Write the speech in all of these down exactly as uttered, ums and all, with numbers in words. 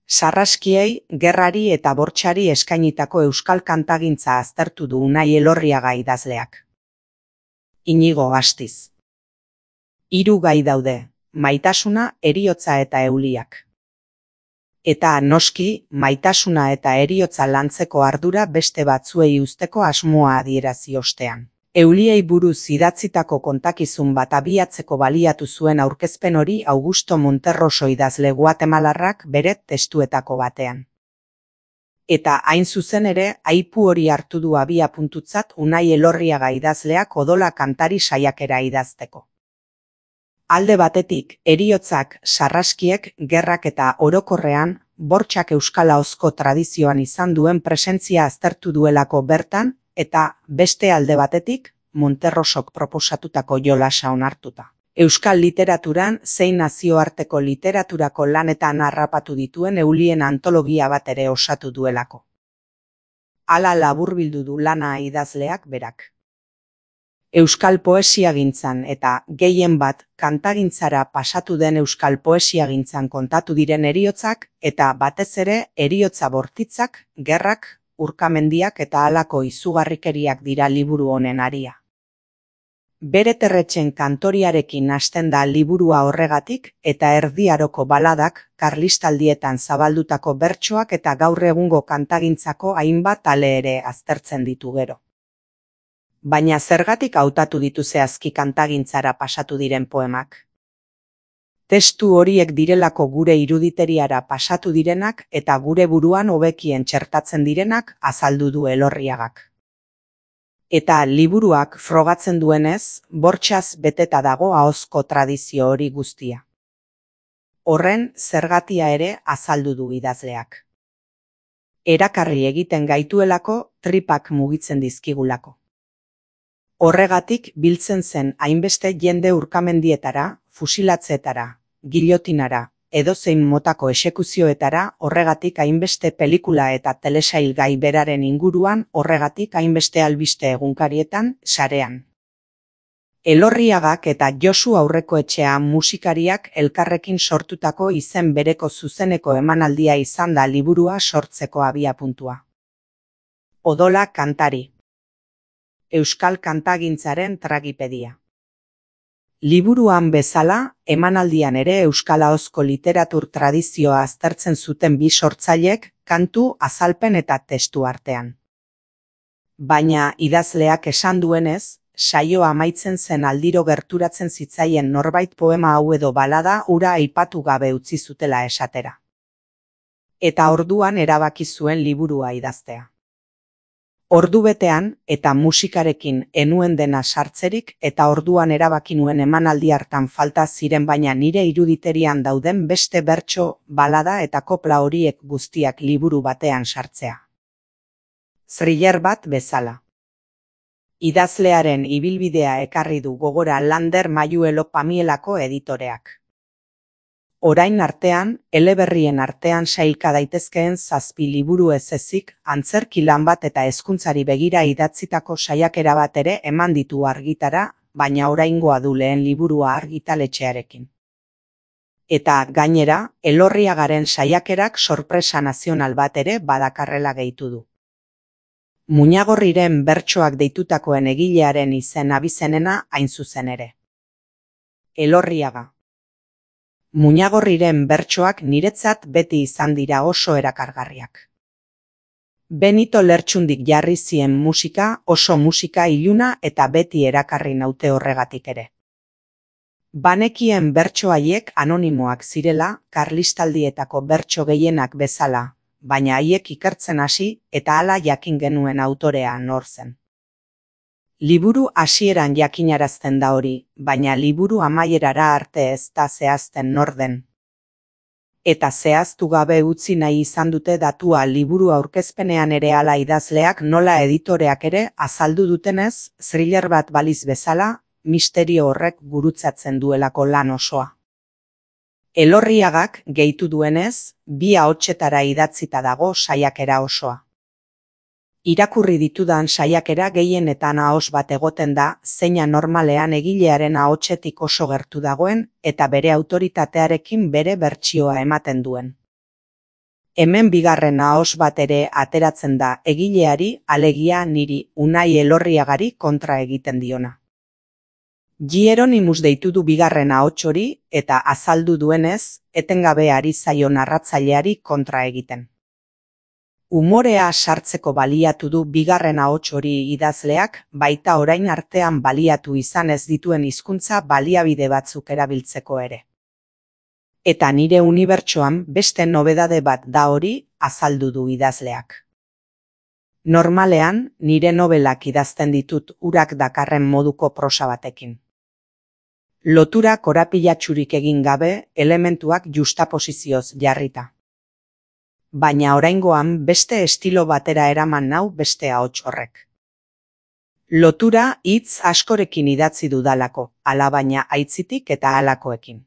Sarraskiei, gerrari eta bortxari eskainitako euskal kantagintza aztertu du Unai Elorriaga idazleak. Inigo Astiz. Hiru gai daude, maitasuna, heriotza eta euliak. Eta, noski, maitasuna eta heriotza lantzeko ardura beste batzuei uzteko asmoa adierazi ostean. Euliei buruz idatzitako kontakizun bat abiatzeko baliatu zuen aurkezpen hori Augusto Monterroso idazle guatemalarrak bere testuetako batean. Eta hain zuzen ere, aipu hori hartu du abia puntutzat Unai Elorriaga idazleak odola kantari saiakera idazteko. Alde batetik, heriotzak, sarraskiek, gerrak eta orokorrean, bortxak euskal ahozko tradizioan izan duen presentzia aztertu duelako bertan, eta beste alde batetik, Monterrosok proposatutako jolasa onartuta. Euskal literaturan zein nazioarteko literaturako lanetan harrapatu dituen eulien antologia bat ere osatu duelako. Hala laburbildu du lana idazleak berak. Euskal poesiagintzan eta, gehien bat, kantagintzara pasatu den euskal poesiagintzan kontatu diren heriotzak eta batez ere heriotza bortitzak, gerrak, urkamendiak eta halako izugarrikeriak dira liburu honen haria. Bere Terretxen kantoriarekin hasten da liburua horregatik eta Erdi Aroko baladak, karlistaldietan zabaldutako bertsoak eta gaur egungo kantagintzako hainbat ale ere aztertzen ditu gero. Baina zergatik hautatu ditu zehazki kantagintzara pasatu diren poemak? Testu horiek direlako gure iruditeriara pasatu direnak eta gure buruan hobekien txertatzen direnak azaldu du Elorriagak. Eta liburuak frogatzen duenez, bortxaz beteta dago ahozko tradizio hori guztia. Horren zergatia ere azaldu du idazleak. Erakarri egiten gaituelako, tripak mugitzen dizkigulako. Horregatik biltzen zen hainbeste jende urkamendietara, fusilatzeetara, giliotinara, edozein motako exekuzioetara, horregatik hainbeste pelikula eta telesail gai beraren inguruan, horregatik hainbeste albiste egunkarietan, sarean. Elorriagak eta Josu Aurrekoetxea musikariak elkarrekin sortutako izen bereko zuzeneko emanaldia izan da liburua sortzeko abiapuntua. Odola kantari. Euskal kantagintzaren tragipedia. Liburuan bezala, emanaldian ere euskal ahozko literatur tradizioa aztertzen zuten bi sortzailek, kantu, azalpen eta testu artean. Baina idazleak esan duenez, saioa amaitzen zen aldiro gerturatzen zitzaien norbait poema hau edo balada hura aipatu gabe utzi zutela esatera. Eta orduan erabaki zuen liburua idaztea. Ordu betean eta musikarekin enuen dena sartzerik eta orduan erabaki nuen emanaldi hartan falta ziren baina nire iruditerian dauden beste bertso, balada eta kopla horiek guztiak liburu batean sartzea. Thriller bat bezala. Idazlearen ibilbidea ekarri du gogora Lander Mayuelo Pamielako editoreak. Orain artean, eleberrien artean sailka daitezkeen zazpi liburu ez ezik, antzerki lan bat eta hezkuntzari begira idatzitako saiakera bat ere eman ditu argitara, baina oraingoa du lehen liburua argitaletxearekin. Eta, gainera, Elorriagaren saiakerak sorpresa nazional bat ere badakarrela gehitu du. Muñagorriren bertsoak deitutakoen egilearen izen abizenena hain zuzen ere. Elorriaga. Muñagorriren bertsoak niretzat beti izan dira oso erakargarriak. Benito Lertxundik jarri zien musika, oso musika iluna eta beti erakarri naute horregatik ere. Banekien bertso haiek anonimoak zirela, karlistaldietako bertso gehienak bezala, baina haiek ikertzen hasi eta hala jakin genuen autorea nor zen. Liburu hasieran jakinarazten da hori, baina liburu amaierara arte ez da zehazten nor den. Eta zehaztu gabe utzi nahi izan dute datua liburu aurkezpenean ere hala idazleak nola editoreak ere azaldu dutenez, thriller bat baliz bezala, misterio horrek gurutzatzen duelako lan osoa. Elorriagak gehitu duenez, bi ahotsetara idatzita dago saiakera osoa. Irakurri ditudan saiakera gehienetan ahos bat egoten da, zeina normalean egilearen ahotsetik oso gertu dagoen eta bere autoritatearekin bere bertsioa ematen duen. Hemen bigarren ahos bat ere ateratzen da egileari, alegia niri, Unai Elorriagari kontra egiten diona. Hieronymus deitu du bigarren ahots hori eta azaldu duenez, etengabe ari zaio narratzaileari kontra egiten. Umorea sartzeko baliatu du bigarren ahots hori idazleak, baita orain artean baliatu izan ez dituen hizkuntza baliabide batzuk erabiltzeko ere. Eta nire unibertsoan beste nobedade bat da hori, azaldu du idazleak. Normalean, nire nobelak idazten ditut urak dakarren moduko prosa batekin. Lotura korapilatsurik egin gabe, elementuak justaposizioz jarrita. Baina oraingoan beste estilo batera eraman nau beste ahots horrek. Lotura hitz askorekin idatzi dudalako, alabaina aitzitik eta halakoekin.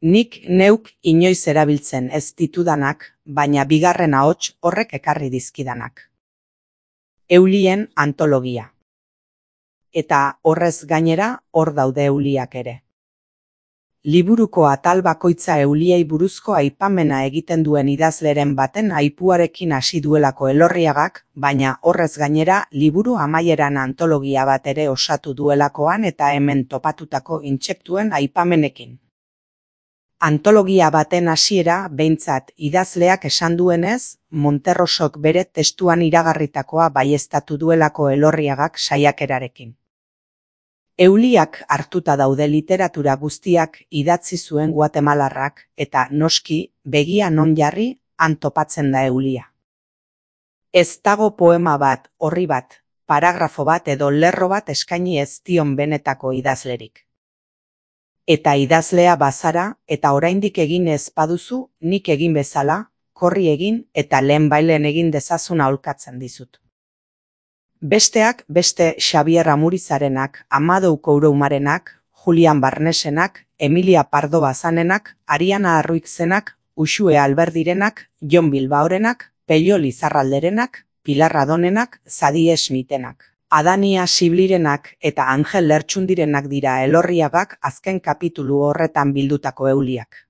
Nik neuk inoiz erabiltzen ez ditudanak, baina bigarren ahots horrek ekarri dizkidanak. Eulien antologia. Eta horrez gainera hor daude euliak ere. Liburuko atal bakoitza euliei buruzko aipamena egiten duen idazleren baten aipuarekin hasi duelako Elorriagak, baina horrez gainera liburu amaieran antologia bat ere osatu duelakoan eta hemen topatutako intsektuen aipamenekin. Antologia baten hasiera behintzat idazleak esan duenez, Monterrosok bere testuan iragarritakoa baieztatu duelako Elorriagak saiakerarekin. Euliak hartuta daude literatura guztiak idatzi zuen guatemalarrak eta noski begia non jarri han topatzen da eulia. Ez dago poema bat, orri bat, paragrafo bat edo lerro bat eskaini ez dion benetako idazlerik. Eta idazlea bazara eta oraindik egin ez baduzu, nik egin bezala, korri egin eta lehen bailen egin dezazun aholkatzen dizut. Besteak beste Xabier Amurizarenak, Amadou Kouroumarenak, Julian Barnesenak, Emilia Pardo Bazanenak, Ariana Arruixenak, Uxue Alberdirenak, Jon Bilbaorenak, Pello Lizarralderenak, Pilar Adonenak, Zadie Smitenak, Adania Siblirenak eta Angel Lertxundirenak dira Elorriagak azken kapitulu horretan bildutako euliak.